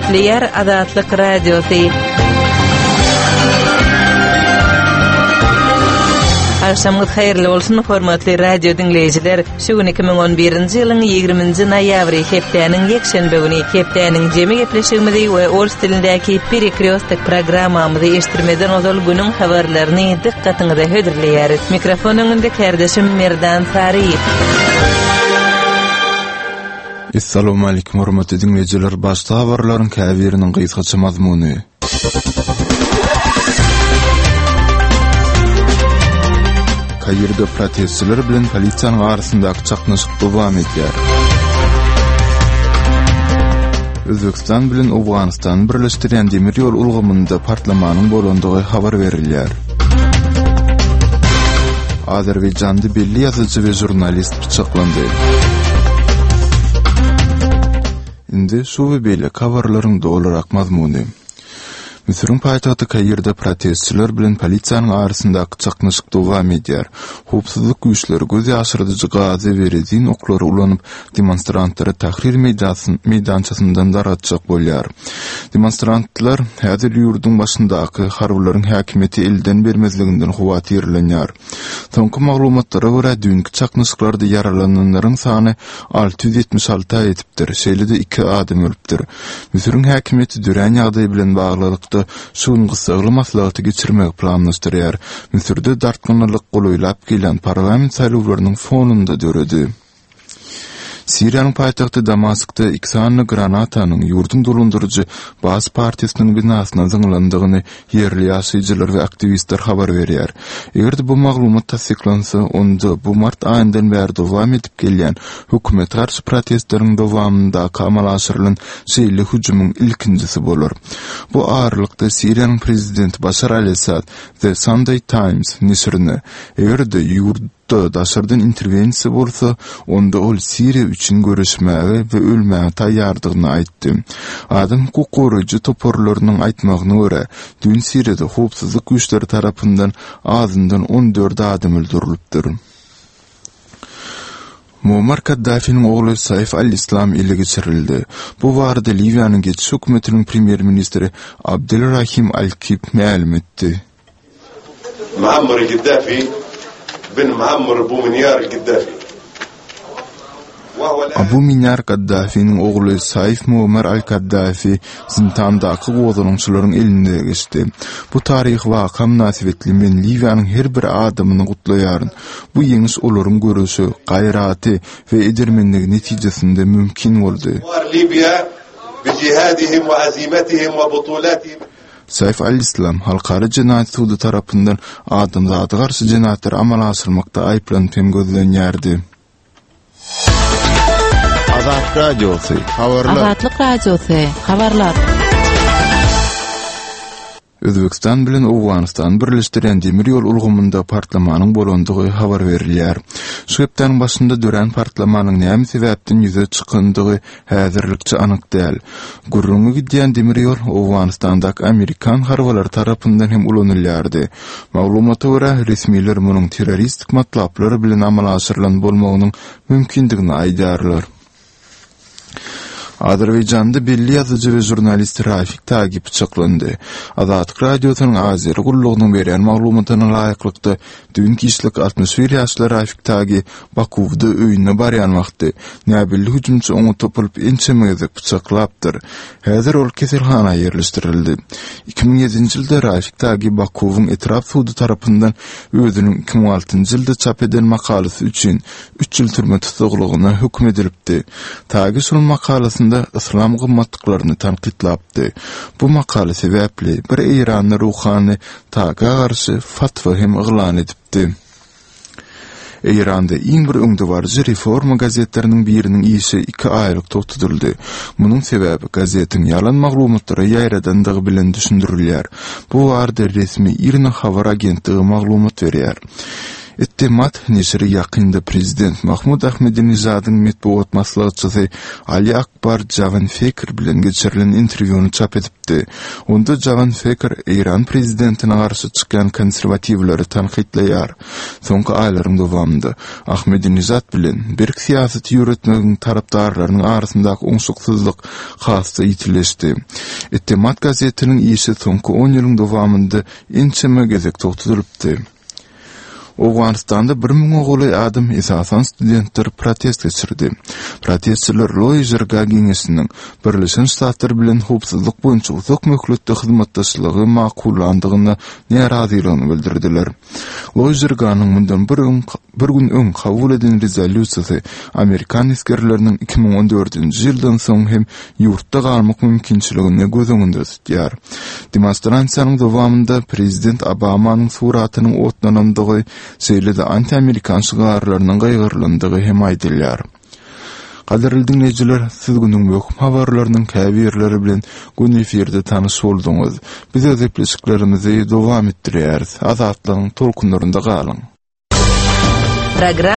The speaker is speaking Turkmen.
Gepleýär Azatlyk Radiosy. Agşamyňyz haýyrly bolsun, hormatly radio diňleýjiler! Şu gün 2011-nji ýylyň 20-nji noýabry, hepdäniň ýekşenbe güni. Hepdäniň jemi gepleşigimizi we ors dilindäki Perekrýostok programmamyzy eşitdirmezden ozal günüň habarlaryny dykgatyňyza hödürleýäris. Mikrofon öňünde kärdeşim Merdan Saryýew. Essalawmalikim hormatly diňleýjiler başda habarlaryň käbiriniň gysgaça mazmuny. Kairde protestçiler bilen polisiýanyň arasyndaky çaknyşyk dowam edýär. Özbegistan bilen Owganystany birleşdirýän demir ýol ulgamynda partlamanyň bolandygy habar berilýär. Azerbaýjanda belli ýazyjy we žurnalist pyçaklandy. Indi şu we beýleki habarlaryň dolurak mazmuny. Müsüriň paýtagty Kairde protestçiler bilen polisiýanyň arasyndaky çaknyşyk dowam edýär. Howpsuzlyk güýçleri göz ýaşyrdyjy gazy we rezin oklary ulanyp, demonstrantlary Tahrir meýdançasyndan dargatjak bolýar. Demonstrantlar häzir ýurduň başyndaky harbylaryň häkimiýeti elden bermezliginden howatyrlanýar. Soňky maglumatlara görä, düýnki çaknyşyklarda ýaralananlaryň sany 676-a ýetipdir, şeýle-de iki adam ölüpdir. Müsüriň häkimiýeti dörän ýagdaý bilen baglylykda şu gün gyssagly maslahaty geçirmegi planlaşdyrýar. Müsürde dartgynlylyk golaýlap gelýän parlament saýlawlarynyň fonunda döredi. Siriýanyň paýtagty Damaskda iki sany granatanyň ýurduň dolandyryjy Baas partiýasynyň binasyna zyňylandygyny ýerli ýaşaýjylar we aktiwistler habar berýär. Eger-de bu maglumat tassyklansa, onda bu mart aýyndan bäri dowam edip gelýän hökümete garşy protestleriň dowamyndaky amala aşyrylan şeýle hüjümiň ilkinjisi bolar. Bu aralykda, Siriýanyň prezidenti Başar al-Assad The Sunday Times neşirine, eger-de ýurt, da daşardan interwensiýa bolsa, onda ol Siriýa üçin göreşmäge we ölmäge taýýardygyny aýtdy. Adam hukuk goraýjy toparlarynyň aýtmagyna görä, düýn Siriýada howpsuzlyk güýçleri tarapyndan azyndan 14 adam öldürilipdir. Muammar Kaddafiniň ogly Saif al-Islam ele geçirildi. Bu barada Liwiýanyň geçiş hökümetiniň premýer-ministri Abdel Rahim al-Kib mälim etdi. Muammar Gaddafi bin Muammar Abu Minýar Gaddafi. Abu Minýar Gaddafiniň ogly Saif Muammar al-Kaddafi zindandaky gozgalaňçylaryň eline geçdi. Bu taryhy waka mynasybetli men Liwiýanyň her bir adamyny gutlaýaryn. Bu ýeňiş olaryň göreşi, gaýraty we edermenligi netijesinde mümkin boldy. Saif al-Islam Halkara jenaýat sudy tarapyndan adamzada garşy jenaýatlary amala aşyrmakda aýyplanyp hem gözlenýärdi. Azat Radiosy, habarlar. Azatlyk Radiosy, habarlar. Özbegistan bilen Owganystany birleşdirýän demir ýol ulgamynda partlamanyň bolandygy habar berilýär. Şu hepdäniň başynda dörän partlamanyň näme sebäpden ýüze çykandygy Häzirlikçe anyk däl. Gürrüňi gidýän demir ýol Owganystandaky amerikan harbylary tarapyndan hem ulanylýardy. Maglumata görä, resmiler munuň terroristik matlaplar bilen amala aşyrylan bolmagynyň mümkindigini aýdýarlar. Azerbaýjanda belli ýazyjy we žurnalist Rafik Tagi pyçaklandy. Azatlyk Radiosynyň Azeri gullugynyň berýän maglumatyna laýyklykda, Düýn giçlik 61 ýaşly Rafik Tagi Bakuwda öýüne barýan wagty, näbelli hüjümçi oňa topulyp ençeme gezek pyçaklapdyr. Häzir ol keselhana ýerleşdirildi. 2007-nji ýylda Rafik Tagi Bakuwyň etrap sudy tarapyndan özüniň 2006-njy ýylda çap eden makalasy üçin üç ýyl türme tussaglygyna höküm edilipdi. Tagi şol makalasynda yslam gymmatlyklaryny tankytlapdy. Bu makala sebäpli bir eýranly ruhany Taga garşy fatwa hem yglan edipdi. Eýranda iň bir öňdebaryjy reforma gazetleriniň biriniň işi iki aýlyk togtadyldy. Munuň sebäbi gazetiň ýalan maglumatlary ýaýradandygy bilen düşündirilýär. Bu barada resmi IRNA habar agentligi maglumat berýär. Ettemat neşiri ýakynda prezident Mahmud Ahmedinejadyň metbugat maslahatçysy Ali Akbar Jawanfekr bilen geçirilen interwýuny çap edipdi. Onda Jawanfekr eýran prezidentine garşy çykýan konserwatiwleri tankytlaýar. Soňky aýlaryň dowamynda Ahmedinejad bilen berk syýasaty ýöretmegiň tarapdarlarynyň arasyndaky oňşuksyzlyk has-da ýitileşdi. Ettemat gazetiniň işi soňky on ýylyň dowamynda ençeme gezek togtadylypdy. Owganystanda bir müňe golaý adam, esasan studentler protest geçirdi. Protestçiler Loýa Jirga geňeşiniň Birleşen Ştatlar bilen howpsuzlyk boýunça uzak möhletli hyzmatdaşlygy makullandygyna närazylygyny bildirdiler. Loýa Jirganyň mundan bir öň bir gün öň kabul eden rezolýusiýasy amerikan esgerleriniň 2014-nji ýyldan soň hem ýurtda galmak mümkinçiligini göz öňünde tutýar. Demonstrasiýanyň dowamynda prezident Obamanyň suratynyň otlanandygy, şeýle-de anti-amerikan şygarlarynyň gygyrylandygy hem aýdylýar. Gadyrly diňleýjiler, siz günüň möhüm habarlarynyň käbirleri bilen göni efirde tanyş bolduňyz. Biz öz gepleşiklerimizi dowam etdirýäris. Azatlygyň tolkunlarynda galyň!